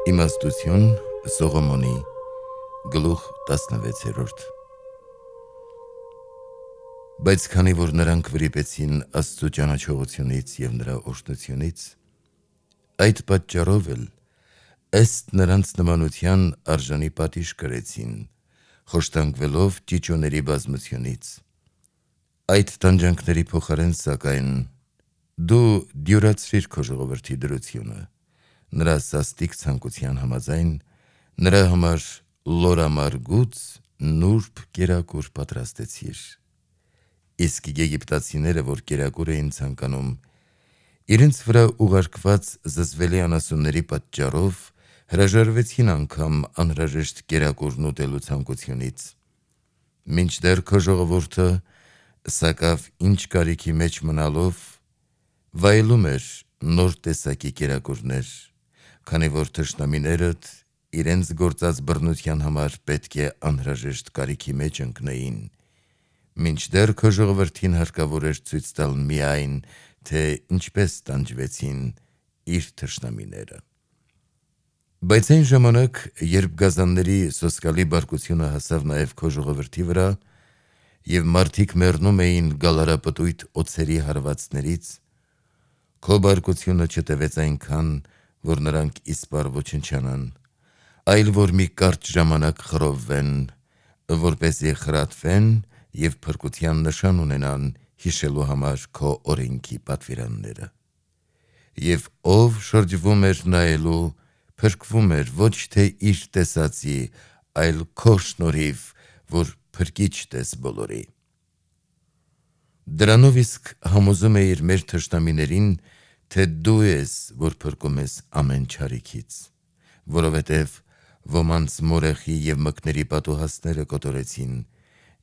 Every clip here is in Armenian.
Իմաստություն Սողոմոնի գլուխ 16-րդ Բայց քանի որ նրանք վրիպեցին Աստծու ճանաչողությունից և նրա օրհնությունից, այդ պատճառով էլ ըստ նրանց նմանության արժանի պատիժ կրեցին, խոշտանգվելով ճիճուների բազմությունից։ Այդ տանջանքների փոխարեն սակայն դու դյուրացրիր քո ժողովրդի դրությունը, նրա սաստիկ ցանկության համաձայն, նրա համար լորամարգուց նուրբ կերակուր պատրաստեցիր։ Իսկ եգիպտացիները, որ կերակուր էին ցանկանում, իրենց վրա ուղարկված զզվելի անասունների պատճառով հրաժարվեցին անգամ անհրաժեշտ կերակուրն ուտելու ցանկությունից, մինչդեռ քո ժողովուրդը սակավ ինչ կարիքի մեջ մնալով վայելում էր նոր տեսակի կերակուրներ, քանի որ թշնամիներդ իրենց գործած բռնության համար պետք է անհրաժեշտ կարիքի մեջ ընկնեին, մինչդեռ քո ժողովրդին հարկավոր էր ցույց տալ միայն, թե ինչպես տանջվեցին իր թշնամիները։ Բայց այն ժամանակ, երբ գազանների սոսկալի բարկությունը հասավ նաև քո ժողովրդի վրա, և մարդիկ մեռնում էին գալարապտույտ օձերի հարվածներից, քո բարկությունը չտևեց այնքան, որ նրանք իսպառ ոչնչանան, այլ որ մի կարճ ժամանակ խռովվեն, որպեսզի խրատվեն և փրկության նշան ունենան հիշելու համար քո օրենքի պատվիրանները։ Եվ ով շրջվում էր նայելու, փրկվում էր ոչ թե իր տեսածի, այլ քո շնորհիվ, որ փրկիչ տես բոլորի։ Դրանով իսկ համոզում էիր մեր թշնամիներին, թե դու ես, որ փրկում ես ամեն չարիքից, որովհետև ոմանց մորեխի և մկների պատուհասները կոտորեցին,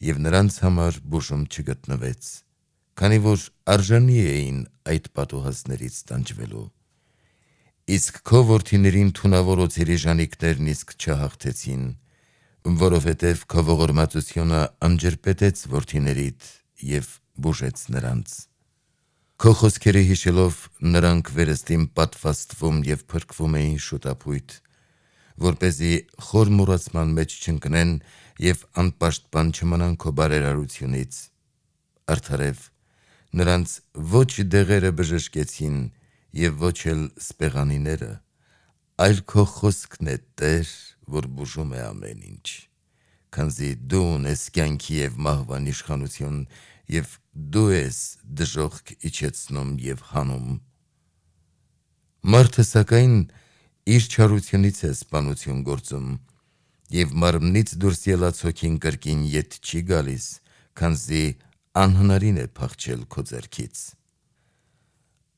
և նրանց համար բուժում չգտնվեց, քանի որ արժանի էին այդ պատուհասներից տանջվելու։ Իսկ քո որդիներին թունավոր օձերի ժանիքներն իսկ չհաղթեցին, որովհետև քո ողորմածությունը անջրպետեց որդիներիդ և բուժեց նրանց։ Քո խոսքերը հիշելով նրանք վերստին պատվաստվում և փրկվում էին շուտափույթ, որպեսզի խոր մոռացման մեջ չընկնեն և անպաշտպան չմնան քո բարերարությունից։ Արդարև նրանց ոչ դեղերը բժշկեցին և ոչ էլ սպեղանիները, այլ քո խոսքն է, Տեր, որ բուժում է ամեն ինչ, քանզի դու ունես կյանքի և մահվան իշխանություն, և դու ես դժոխք իջեցնում և հանում։ Մարդը սակայն իր չարությունից է սպանություն գործում, և մարմնից դուրս ելած հոգին կրկին ետ չի գալիս, քանզի անհնարին է փախչել քո ձեռքից։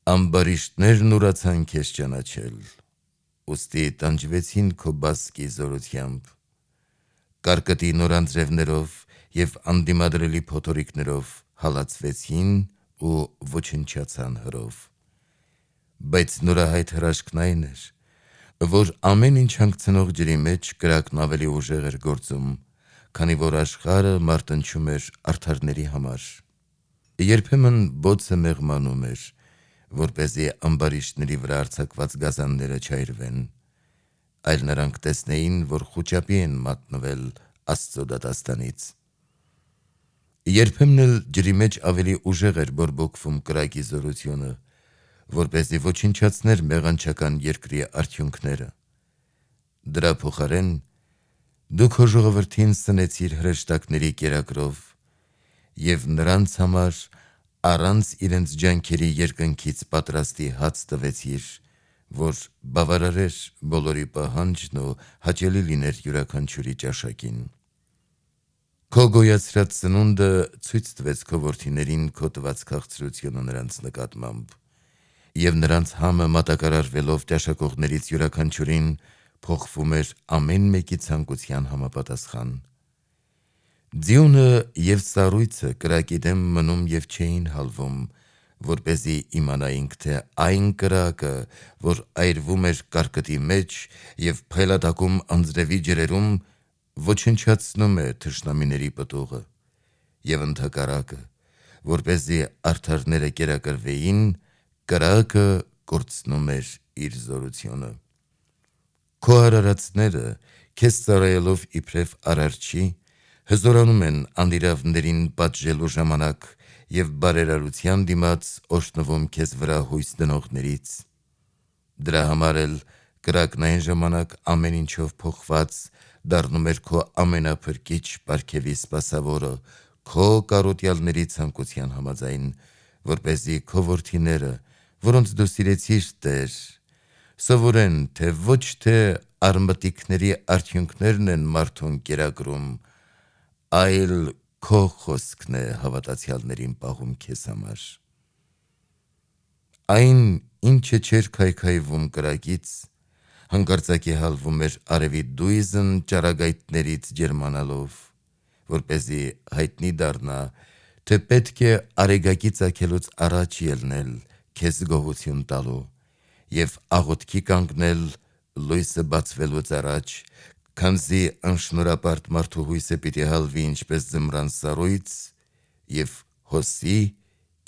Ամբարիշտներն ուրացան քեզ ճանաչել, ուստի տանջվեցին քո բասկի զորությամբ, կարկտի նորանձրևներով և անդիմադրելի փոթորիկներով հալածվեցին ու ոչնչացան հրով։ Բայց նորահայտ հրաշքն այն էր, որ ամեն ինչ հանգցնող ջրի մեջ կրակն ավելի ուժեղ էր գործում, քանի որ աշխարհը մարտնչում էր արդարների համար։ Երբեմն բոցը մեղմանում էր, որպեսզի ամբարիշտների վրա արձակված գազանները չայրվեն, այլ նրանք տեսնեին, որ խուճապի են մատնվել Աստծո դատաստանից։ Երբեմն էլ ջրի մեջ ավելի ուժեղ էր բորբոքվում կրակի զորությունը, որպեսզի ոչնչացներ մեղանչական երկրի արդյունքները։ Դրա փոխարեն դու քո ժողովրդին սնեցիր հրեշտակների կերակրով և նրանց համար առանց իրենց ջանքերի երկնքից պատրաստի հաց տվեցիր, որ բավարարեր բոլորի պահանջն ու հաճելի լիներ յուրաքանչյուրի ճաշակին։ Քո գոյացրած սնունդը ցույց տվեց քո որդիներին քո տված քաղցրությունը նրանց նկատմամբ, և նրանց համը մատակարարվելով ճաշակողներից յուրաքանչյուրին փոխվում էր ամեն մեկի ցանկության համապատասխան։ Ձիունը և սառույցը կրակի դեմ մնում և չէին հալվում, որպեսզի իմանայինք, թե այն կրակը, որ այրվում էր կարկտի մեջ և փայլատակում անձրևի ջրերում, ոչնչացնում է թշնամիների պտուղը, և ընդհակառակը, որպեսզի արդարները կերակրվեին, կրակը կորցնում էր իր զորությունը։ Քո արարածները քեզ ծառայելով իբրև արարչի հզորանում են անիրավներին պատժելու ժամանակ եւ բարերարության դիմաց օրհնվում քեզ վրա հույս դնողներից։ Դրա համար էլ կրակն այն ժամանակ ամեն ինչով փոխված դառնում էր քո ամենափրկիչ պարգևի սպասավորը քո կարոտյալների ցանկության համաձայն, որպեսզի քո որդիները, որոնց դու սիրեցիր, Տեր, սովորեն, թե ոչ թե արմատիկների արդյունքներն են մարդուն կերակրում, այլ քո խոսքն է հավատացյալներին պահում քեզ համար։ Այն, ինչը չէր քայքայվում կրակից, հանկարծակի հալվում էր արևի դույզն ճառագայթներից ջերմանալով, որպեսզի հայտնի դառնա, թե պետք է արեգակի ծագելուց առաջ ելնել քեզ գոհություն տալու եւ աղոթքի կանգնել լույսը բացվելուց առաջ, քանզի անշնորհապարտ մարդու հույսը պիտի հալվի ինչպես ձմռան սառույց եւ հոսի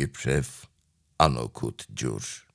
իբրև անօգուտ ջուր։